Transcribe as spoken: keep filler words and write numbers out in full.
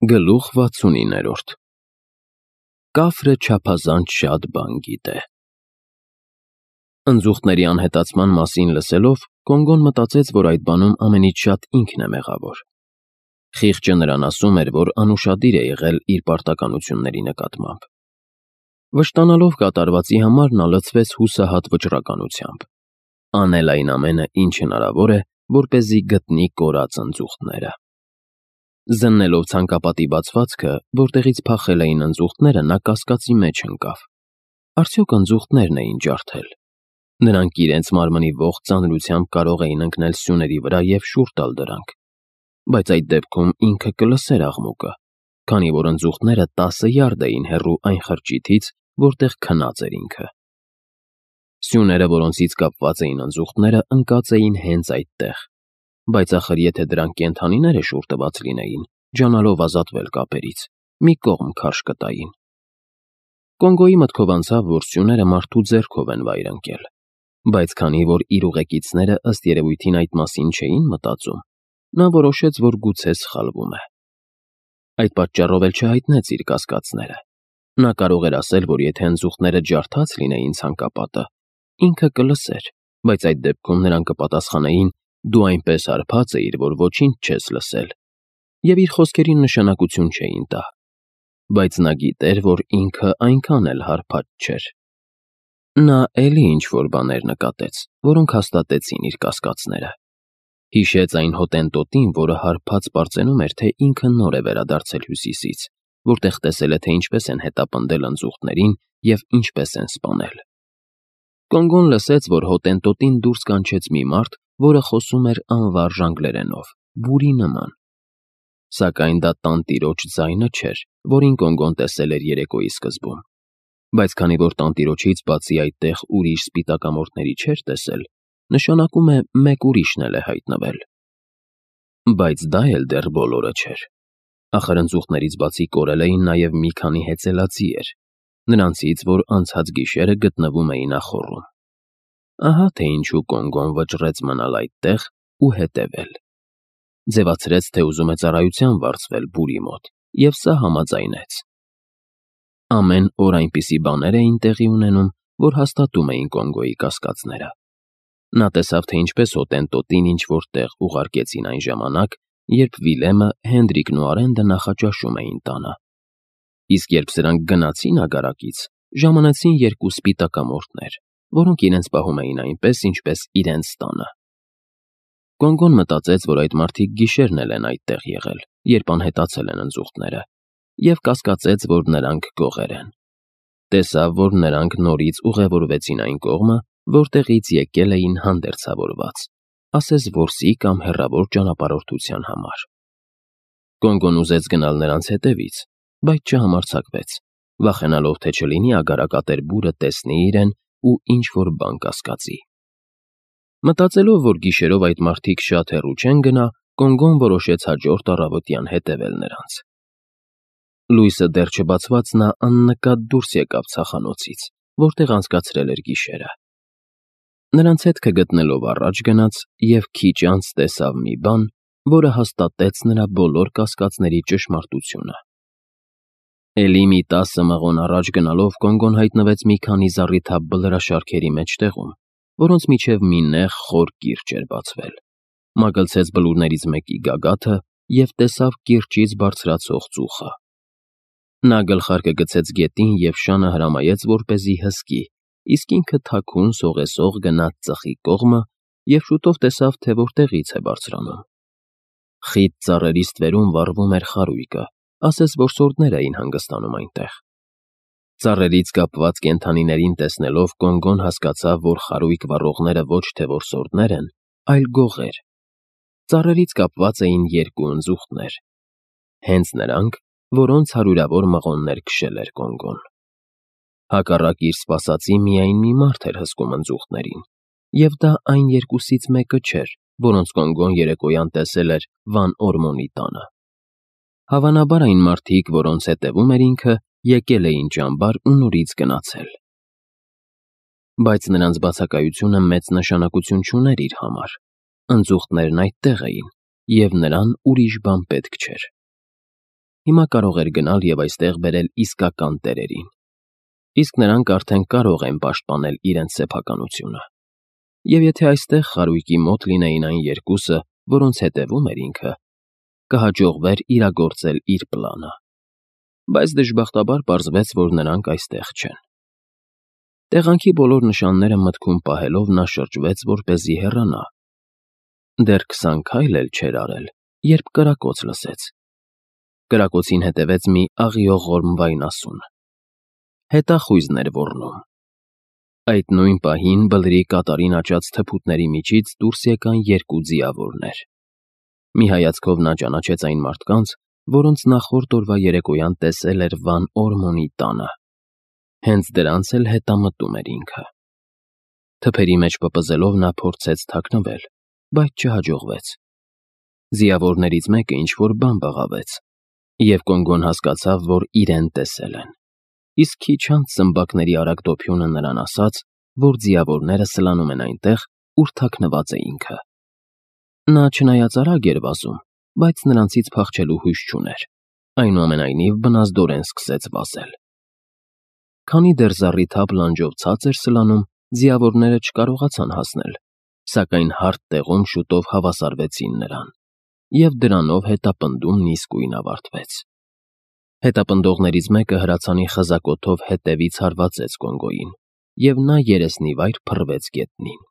Գլուխ վաթսունիններորդ Կաֆրը չափազանց շատ բան գիտե։ Ընձուղտների անհետացման մասին լսելով, Կոնգոն մտածեց, որ այդ բանում ամենից շատ ինքն է մեղավոր։ Խիղճը նրան ասում էր, որ անուշադիր է եղել իր պարտականությունների նկատմամբ։ Վշտանալով կատարվածի համար նա լցվեց հուսահատ վճռականությամբ։ Անել այն ամենը, ինչ հնարավոր է, որպեսզի գտնի կորած ընձուղտները։ Զննելով ցանկապատի բացվածքը, որտեղից փախել էին ընձուղտները, նա կասկածի մեջ ընկավ։ Արդյոք ընձուղտներն էին ջարդել։ Նրանք իրենց մարմնի ողջ ծանրությամբ կարող էին ընկնել սյուների վրա և շուռ տալ դրանք։ Բայց այդ դեպքում ինքը կլսեր աղմուկը, քանի որ ընձուղտները տասը յարդ էին հեռու այն խրճիթից, որտեղ քնած էր ինքը։ Սյուները, որոնցից կապված էին ընձուղտները, ընկած էին հենց այդտեղ։ Բայց ախր եթե դրանք կենդանիները շուռ տված լինեին, ջանալով ազատվել կապերից, մի կողմ քարշ կտային։ Կոնգոյի մտքով անցավ, որ սյուները մարդու ձեռքով են վայր ընկել, բայց քանի որ իր ուղեկիցները ըստ երևույթին այդ մասին չէին մտածում, նա որոշեց, որ գուցե սխալվում է։ Այդ պատճառով էլ չհայտնեց իր կասկածները։ Նա կարող էր ասել, որ եթե ընձուղտները ջարդած լինեին ցանկապատը, ինքը կլսեր, բայց այդ դեպքում նրանք կպատասխանեին. «Դու այնպես հարբած էիր, որ ոչինչ չես լսել», և իր խոսքերին նշանակություն չէին տա։ Բայց նա գիտեր, որ ինքը այնքան էլ հարբած չէր։ Նա էլի ինչ-որ բաներ նկատեց, որոնք հաստատեցին իր կասկածները։ Հիշեց այն հոտենտոտին, որը հարբած պարծենում էր, թե ինքը նոր է վերադարձել Հյուսիսից, որտեղ տեսել է, թե ինչպես են հետապնդել ընձուղտներին և ինչպես են սպանել։ Կոնգոն լսեց, որ հոտենտոտին դուրս կանչեց մի մարդ, որը խոսում էր անվարժ անգլերենով, բուրի նման։ Սակայն դա տանտիրոջ ձայնը չէր, որին Կոնգոն տեսել էր երեկոյի սկզբում։ Բայց քանի որ տանտիրոջից բացի այդտեղ ուրիշ սպիտակամորթների չէր տեսել, նշանակում է մեկ ուրիշն էլ է հայտնվել։ Բայց դա էլ դեռ բոլորը չէր։ Ախր ընձուղտներից բացի կորել էին նաև մի քանի հեծելացիներ, նրանցից, որ անցած գիշերը գտնվում էին ախոռում։ Ահա թե ինչու Կոնգոն վճռեց մնալ այդտեղ ու հետևել։ Ձևացրեց, թե ուզում է ծառայության վարձվել բուրի մոտ, և սա համաձայնեց։ Ամեն օր այնպիսի բաներ էին տեղի ունենում, որ հաստատում էին Կոնգոյի կասկածները։ Նա տեսավ, թե ինչպես հոտենտոտին ինչ-որ տեղ ուղարկեցին այն ժամանակ, երբ Վիլեմը, Հենդրիկն ու Արենդը նախաճաշում էին տանը։ Իսկ երբ սրանք գնացին ագարակից, ժամանեցին երկու սպիտակամորթներ, որոնք իրենց պահում էին այնպես, ինչպես իրենց տանը։ Կոնգոն մտածեց, որ այդ մարդիկ գիշերն էլ են այդտեղ եղել, երբ անհետացել են ընձուղտները, և կասկածեց, որ նրանք գողեր են։ Տեսավ, որ նրանք նորից ուղևորվեցին այն կողմը, որտեղից եկել էին հանդերձավորված, ասես որսի կամ հեռավոր ճանապարհորդության համար։ Կոնգոն ուզեց գնալ նրանց հետևից, բայց չհամարձակվեց, վախենալով, թե չլինի ագարակատեր բուրը տեսնի իրեն ու ինչ-որ բան կասկածի։ Մտածելով, որ գիշերով այդ մարդիկ շատ հեռու չեն գնա, Կոնգոն որոշեց հաջորդ առավոտյան հետևել նրանց։ Լույսը դեռ չբացված նա աննկատ դուրս եկավ ցախանոցից, որտեղ անցկացրել էր գիշերը։ Նրանց հետքը գտնելով առաջ գնաց և քիչ անց տեսավ մի բան, որը հաստատեց նրա բոլոր կասկածների ճշմարտությունը։ Էլի մի տասը մղոն առաջ գնալով Կոնգոն հայտնվեց մի քանի զառիթափ բլրաշարքերի մեջտեղում, որոնց միջև մի նեղ խոր կիրճ էր բացվել։ Մագլցեց բլուրներից մեկի գագաթը և տեսավ կիրճից բարձրացող ծուխը։ Նա գլխարկը գցեց գետին և շանը հրամայեց, որպեսզի հսկի, իսկ ինքը թաքուն սողեսող գնաց ծխի կողմը և շուտով տեսավ, թե որտեղից է բարձրանում։ Խիտ ծառերի ստվերում վառվում էր խարույկը, ասես որսորդներ էին հանգստանում այնտեղ։ Ծառերից կապված կենդանիներին տեսնելով Կոնգոն հասկացավ, որ խարույկ վառողները ոչ թե որսորդներ են, այլ գողեր։ Ծառերից կապված էին երկու ընձուղտներ։ Հենց նրանք, որոնց հարյուրավոր մղոններ քշել էր Կոնգոն։ Հակառակ իր սպասածի միայն մի մարդ էր հսկում ընձուղտներին, և դա այն երկուսից մեկը չէր, որոնց Կոնգոն երեկոյան տեսել էր Վան Օրմոնի տանը։ Հավանաբար այն մարդիկ, որոնց հետևում էր ինքը, եկել էին ճամբար ու նորից գնացել։ Բայց նրանց բացակայությունը մեծ նշանակություն չուներ իր համար։ Ընձուղտներն այդտեղ էին, և նրան ուրիշ բան պետք չէր։ հիմա կարող էր գնալ և այստեղ բերել իսկական տերերին։ Իսկ նրանք արդեն կարող են պաշտպանել իրենց սեփականությունը։ Եվ եթե այստեղ խարույկի մոտ լինեին այն երկուսը, որոնց հետևում էր ինքը, կհաջողվեր իրագործել իր պլանը։ Բայց դժբախտաբար պարզվեց, որ նրանք այստեղ չեն։ Տեղանքի բոլոր նշանները մտքում պահելով նա շրջվեց, որպեսզի հեռանա։ Դեռ քսան քայլ էլ չէր արել, երբ կրակոց լսեց։ Կրակոցին հետևեց մի աղիողորմ վայնասուն։ Հետախույզն էր ոռնում։ Այդ նույն պահին բլրի կատարին աճած թփուտների միջից դուրս եկան երկու ձիավորներ։ Մի հայացքով նա ճանաչեց այն մարդկանց, որոնց նախորդ օրվա երեկոյան տեսել էր Վան Օրմոնի տանը։ Հենց դրանց էլ հետամտում էր ինքը։ Թփերի մեջ պպզելով նա փորձեց թաքնվել, բայց չհաջողվեց։ Ձիավորներից մեկը ինչ-որ բան բղավեց, և Կոնգոն հասկացավ, որ իրեն տեսել են։ Իսկ քիչ անց սմբակների արագ դոփյունը նրան ասաց, որ ձիավորները սլանում են այնտեղ, ուր թաքնված է ինքը։ Նա չնայած արագ էր վազում, բայց նրանցից փախչելու հույս չուներ, այնուամենայնիվ բնազդորեն սկսեց վազել։ Քանի դեռ զառիթափ լանջով ցած էր սլանում, ձիավորները չկարողացան հասնել, սակայն հարթ տեղում շուտով հավասարվեցին նրան, և դրանով հետապնդումն իսկույն ավարտվեց։ Հետապնդողներից մեկը հրացանի խզակոթով հետևից հարվածեց Կոնգոյին, և նա երեսնիվայր փռվեց գետնին։